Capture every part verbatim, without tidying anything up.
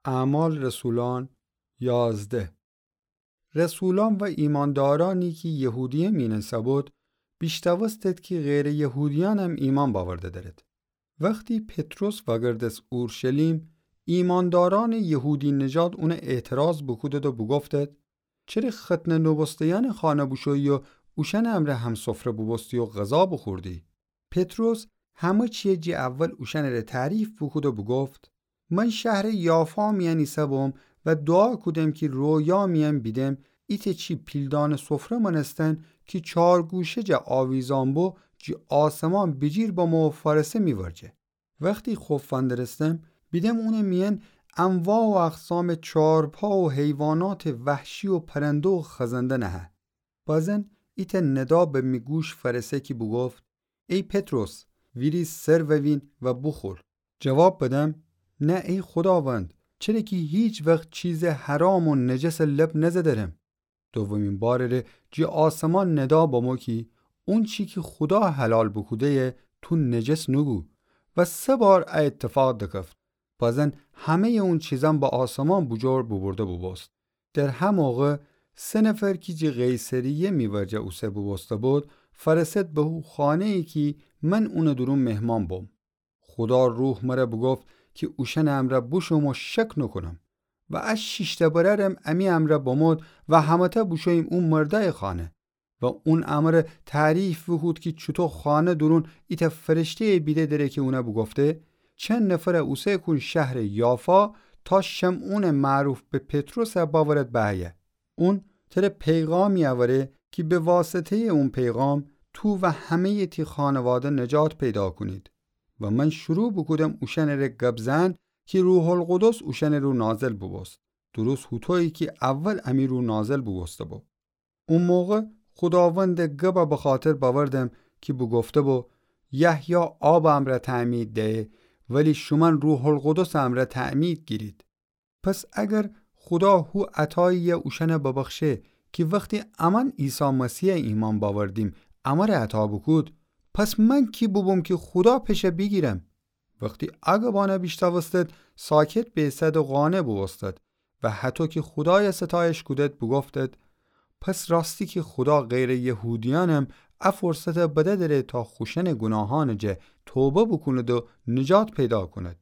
اعمال رسولان یازده. رسولان و ایماندارأنی کی یهودیه مینسه بود، بیشتاوستد کی غیرٚ یهودیأنم ایمأن باورده دأرد. وختی پطرس وأگردس اورشلیم، ایمأندارأنٚ یهودی‌نژاد اون اعتراض بوکودد و بوگفتد: چره ختنه نوبوسته‌یأنٚ خانه بوشویی و اوشأنٚ امرأ همسفره بوبوستی و غذا بوخوردی؟ پطرس همه چیه جٚه اول اوشأنٚره تعریف بوکود و بوگفت: من شهرٚ یافا میأن ایسه‌بوم و دوعا کودم کی رویا میأن بیدم ایتأ چی پیلدانٚ سفره مأنستن کی چارگوشه جا آویزأن بو، جٚه آسمان بیجیر بمو و فأرسه می ورجه. وختی خوف فندرستم، بیدم اونٚ میأن انواع و اقسامٚ چارپا و حیواناتٚ وحشی و پرنده و خزنده نهه. بازن ایتأ ندا به می گوش فأرسه کی بوگفت: ای پطرس، ویریز سر ووین و بوخور. جواب بدم: نه ای خوداوند، چره کی هیچ وخت چیزٚ حرام و نجس لب نزدرم. دومین بارٚره جٚه آسمان ندا بمو کی اونچی کی خودا حلال بوکوده‌یه تو نجس نوگو. و سه بار ا ایتفاق دکفت. بازن همه‌یٚ اون چیزأن به آسمان بوجور بوبورده بوبوست. در هه موقع سه نفر کی جٚه قیصریه می ورجه اوسه بوبوسته بود، فأرسد به هو خانه‌یی کی من اونٚ دورون مهمان بوم. خودا روح مره بوگفت کی اوشأنٚ امرأ بوشوم و شک نوکونم. و ا شیشتأ برأرم امی امرأ بمود و همه‌تأ بوشوییم او مردأیٚ خانه. و اون امره تعریف بوکود کی چوطو خانه دورون ایتأ فرشته‌یٚ بیده دره کی اونه بوگفته: چند نفر اوسه کون شهرٚ یافا تا شمعونٚ معروف به پطرس باورد به ایه. اون تره پیغامی اوره کی به واسطه‌یٚ اون پیغام تو و همه‌یٚ تی خانواده نجات پیدا کونید. و من شروع بوکودم اوشأنٚره گب زئن کی روح‌القدس اوشأنٚ رو نازل بوبوست، درست هوطویی کی اول امی رو نازل بوبوسته بو. او موقع خوداوندٚ گب بخاطر بأوردم کی بوگفته بو: یحیی آبٚ امرأ تعمید دهه، ولی شومأن روح‌القدسٚ امرأ تعمید گیرید. پس اگر خودا هو عطایی‌یه اوشأن ببخشه کی وختی امأن عیسی مسیح ایمأن بأوردیم امره عطا بوکود، پس من کی بوبوم کی خودا پشه بیگیرم؟ وختی ا گبأن بیشتأوستد، ساکت بیسد و قانع بوبوستد و هطو کی خودای ستایش کودد بوگفتد: پس راستی کی خودا غیرٚ یهودیأنم ا فرصت بده دره تا خوشأنٚ گوناهأنٚ جا توبه بوکوند و نجات پیدا کوند.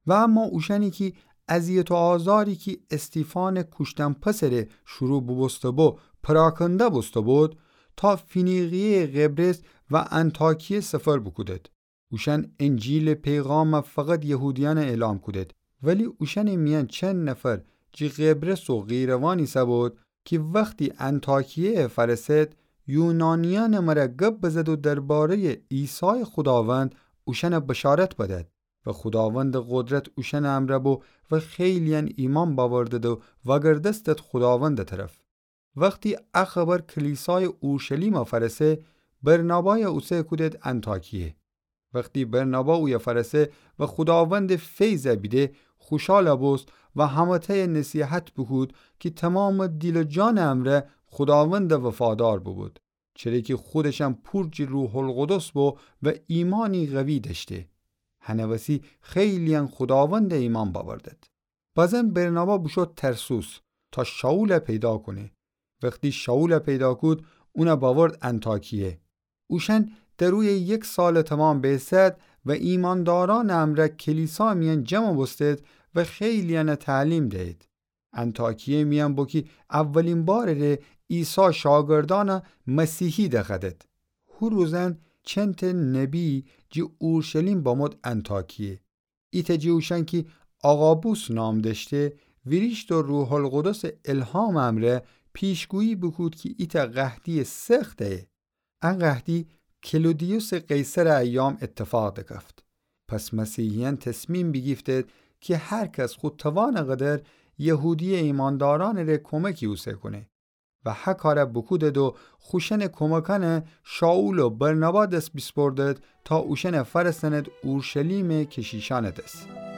و اما اوشأنی کی اذیت و آزاری کی استیفانٚ کوشتن پسره شروع بوبوسته بو پراکنده بوسته بود، تا فینیقیه‌یٚ قبرس و انطاکیه سفر بوکودد. اوشأن انجیلٚ پیغام فقط یهودیأن اعلام کودد، ولی اوشأنٚ میأن چند نفر جٚه قبرس و قیروان ایسه‌بود کی وختی انطاکیه فأرسد، یونانیأنٚ مره گب بزد و درباره‌یٚ عیسایٚ خوداوند اوشأن بشارت بدد. و خوداوندٚ قدرت اوشأنٚ امرأ بو و خیلی‌یأن ایمأن بأوردد و وأگردستد خوداوندٚ طرف. وختی ا خبر کلیسایٚ اورشلیم فأرسه، برنابای اوسه کودد انطاکیه. وختی برنابا اویه فأرسه و خوداوندٚ فیض بیده، خوشال بوست و همه‌تأی نصیحت بوکود کی تومامٚ دیل و جانٚ امرأ خوداوند وفادار بوبود، چره کی خودشم پور جٚه روح‌القدس بو و ایمأنی قوی دأشته. هنٚ وسی خیلی‌یأن خوداوند ایمأن بأوردد. بازن برنابا بوشو ترسوس تا شائول پیدا کونه. وختی شائول پیدا کود، اون بأورد انطاکیه. اوشأن در اویه یک سالٚ تومام بیسد و ایمأندارأنٚ امرأ کلیسا میأن جمع بوستد و خیلی‌یأن تعلیم دهید. انطاکیه میأن بو کی اولین بارٚ ره عیسی شاگردأن مسیحی دخوأدد. هو روزأن چندتأ نبی جٚه اورشلیم بمود انطاکیه. ایتأ جٚه اوشأن کی آغابوس نام دأشته، ویریشت و روح‌القدسٚ الهامٚ امرأ پیشگویی بوکود کی ایتأ قحطیٚ سخت ایه. ا قحطی کلودیوسٚ قیصرٚ ایام ایتفاق دکفت. پس مسیحیأن تصمیم بیگیفتید کی هر کس خو توانٚ قدر یهودیه ایمأندارأنٚ ره کمکی اوسه کونه. و هه کار بوکودید و خوشأنٚ کمکأن شائول و برنابا دس بیسپردید تا اوشأن فأرسأنید اورشلیم کشیشأنٚ دس.